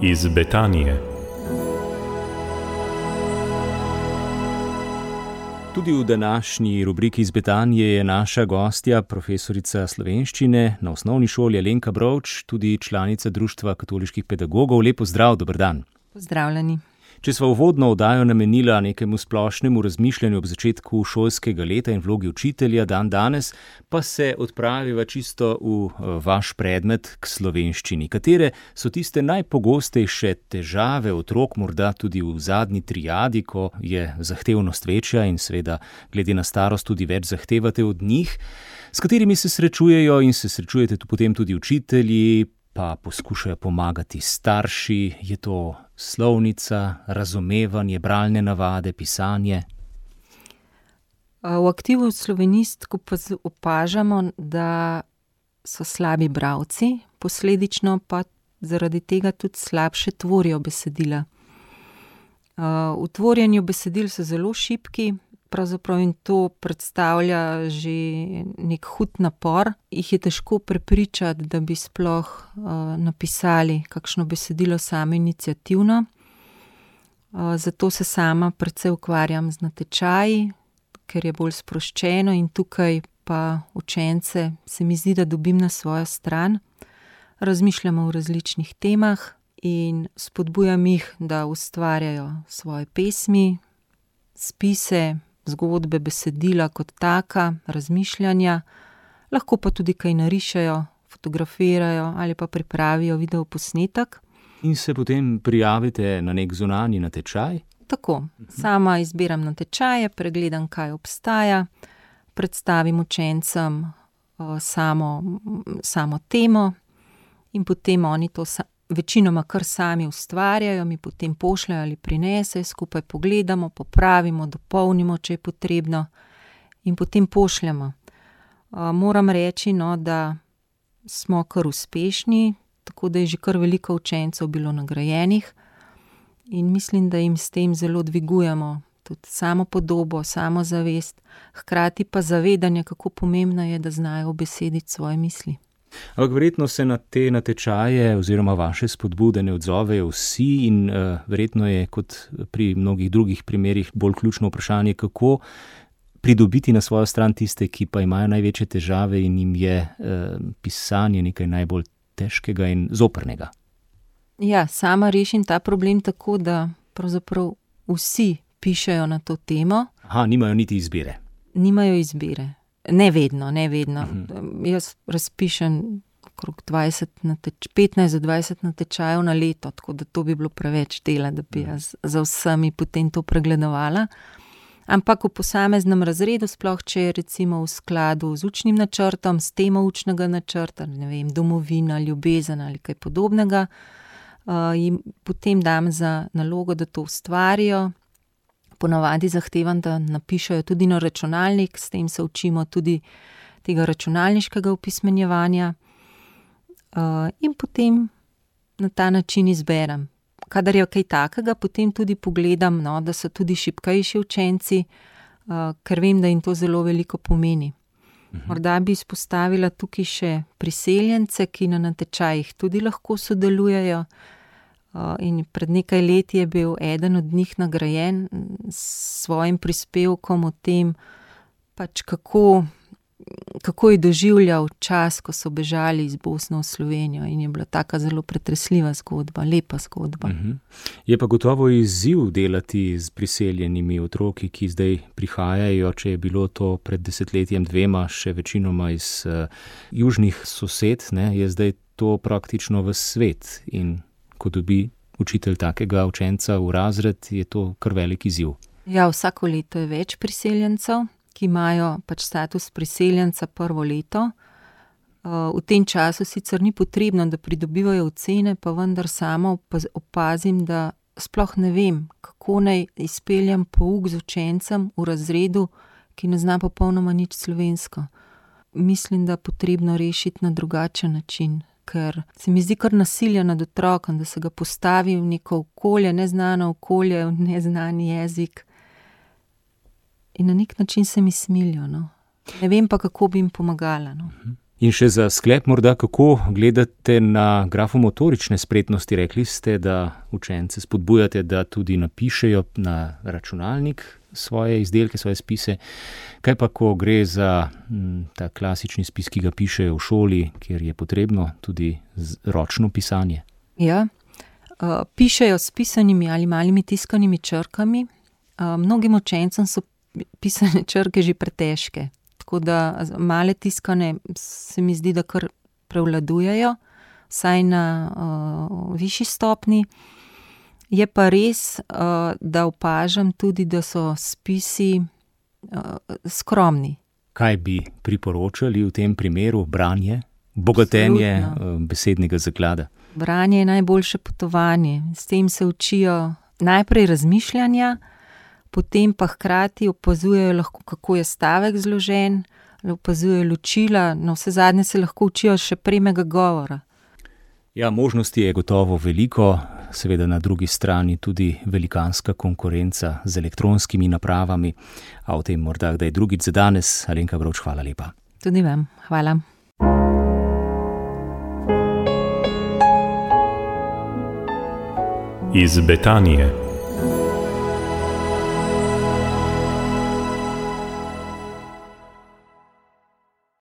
Iz Betanije. Tudi v današnji rubriki Iz Betanije je naša gostja, profesorica slovenščine na osnovni šoli Alenka Brovč, tudi članica Društva katoliških pedagogov. Lep pozdrav, dober dan. Pozdravljeni. Če sva uvodno oddajo namenila nekemu splošnemu razmišljanju ob začetku šolskega leta in vlogi učitelja dan danes, pa se odpraviva čisto v vaš predmet k slovenščini. Katere so tiste najpogostejše težave otrok, morda tudi v zadnji triadi, ko je zahtevnost večja in seveda glede na starost tudi več zahtevate od njih, s katerimi se srečujejo in se srečujete potem tudi učitelji, pa poskušajo pomagati starši? Je to slovnica, razumevanje, bralne navade, pisanje? V aktivu slovenistko opažamo, da so slabi bralci, posledično pa zaradi tega tudi slabše tvorijo besedila. V tvorjenju besedil so zelo šibki, pravzaprav jim to predstavlja že nek hud napor. Jih je težko prepričati, da bi sploh napisali kakšno besedilo sami iniciativno. Zato se sama precej ukvarjam z natečaji, ker je bolj sproščeno in tukaj pa učence se mi zdi, da dobim na svojo stran. Razmišljamo o različnih temah in spodbujam jih, da ustvarjajo svoje pesmi, spise, zgodbe, besedila kot taka, razmišljanja, lahko pa tudi kaj narišejo, fotografirajo ali pa pripravijo videoposnetek. In se potem prijavite na nek zunanji natečaj? Tako, sama izbiram natečaje, pregledam, kaj obstaja, predstavim učencem samo temo in potem oni to večinoma kar sami ustvarjajo, mi potem pošljajo ali prinesejo, skupaj pogledamo, popravimo, dopolnimo, če je potrebno, in potem pošljemo. Moram reči, da smo kar uspešni, tako da je že kar veliko učencev bilo nagrajenih in mislim, da jim s tem zelo dvigujemo tudi samopodobo, samozavest, hkrati pa zavedanje, kako pomembno je, da znajo ubesediti svoje misli. Ampak verjetno se na te natečaje oziroma vaše spodbude ne odzovejo vsi in verjetno je kot pri mnogih drugih primerih bolj ključno vprašanje, kako pridobiti na svojo stran tiste, ki pa imajo največje težave in jim je pisanje nekaj najbolj težkega in zoprnega. Ja, sama rešim ta problem tako, da pravzaprav vsi pišejo na to temo. Nimajo niti izbire. Nimajo izbire. Ne vedno. Jaz razpišem okrog 15 do 20 natečajev na leto, tako da to bi bilo preveč dela, da bi jaz za vsemi potem to pregledovala. Ampak v posameznem razredu, sploh če je recimo v skladu z učnim načrtom, s temo učnega načrta, ne vem, domovina, ljubezen ali kaj podobnega, jim potem dam za nalogo, da to ustvarijo. Ponavadi zahtevam, da napišejo tudi na računalnik, s tem se učimo tudi tega računalniškega opismenjevanja in potem na ta način izberem. Kadar je kaj takega, potem tudi pogledam, da so tudi šibkejši učenci, ker vem, da jim to zelo veliko pomeni. Morda bi izpostavila tukaj še priseljence, ki na natečajih tudi lahko sodelujejo. In pred nekaj leti je bil eden od njih nagrajen s svojim prispevkom o tem, pač kako je doživljal čas, ko so bežali iz Bosne v Slovenijo, in je bila taka zelo pretresljiva zgodba, lepa zgodba. Je pa gotovo izziv delati z priseljenimi otroki, ki zdaj prihajajo, če je bilo to pred 10-2 še večinoma iz južnih sosed, je zdaj to praktično ves svet in ko dobi učitelj takega učenca v razred, je to kar velik izziv. Ja, vsako leto je več priseljencev, ki imajo pač status priseljenca prvo leto. V tem času sicer ni potrebno, da pridobivajo ocene, pa vendar sama opazim, da sploh ne vem, kako naj izpeljem pouk z učencem v razredu, ki ne zna popolnoma nič slovensko. Mislim, da potrebno rešiti na drugačen način, ker se mi zdi kar nasilje nad otrokom, da se ga postavi v neko okolje, neznano okolje, v neznani jezik. In na nek način se mi smilijo, Ne vem pa, kako bi jim pomagala, In še za sklep morda, kako gledate na grafomotorične spretnosti? Rekli ste, da učence spodbujate, da tudi napišejo na računalnik svoje izdelke, svoje spise. Kaj pa, ko gre za ta klasični spis, ki ga pišejo v šoli, kjer je potrebno tudi ročno pisanje? Ja, pišejo s pisanimi ali malimi tiskanimi črkami. Mnogim učencem so pisane črke že pretežke. Tako da male tiskane se mi zdi, da kar prevladujejo, vsaj na višji stopni. Je pa res, da opažam tudi, da so spisi skromni. Kaj bi priporočali v tem primeru? Branje, bogatenje besednega zaklada? Branje je najboljše potovanje. S tem se učijo najprej razmišljanja, potem pa hkrati opazujejo lahko, kako je stavek zložen, opazujejo ločila, navsezadnje se lahko učijo še premega govora. Ja, možnosti je gotovo veliko, seveda na drugi strani tudi velikanska konkurenca z elektronskimi napravami, a o tem morda kdaj drugič. Za danes, Alenka Vrovč, hvala lepa. Tudi vam, hvala. Iz Betanije.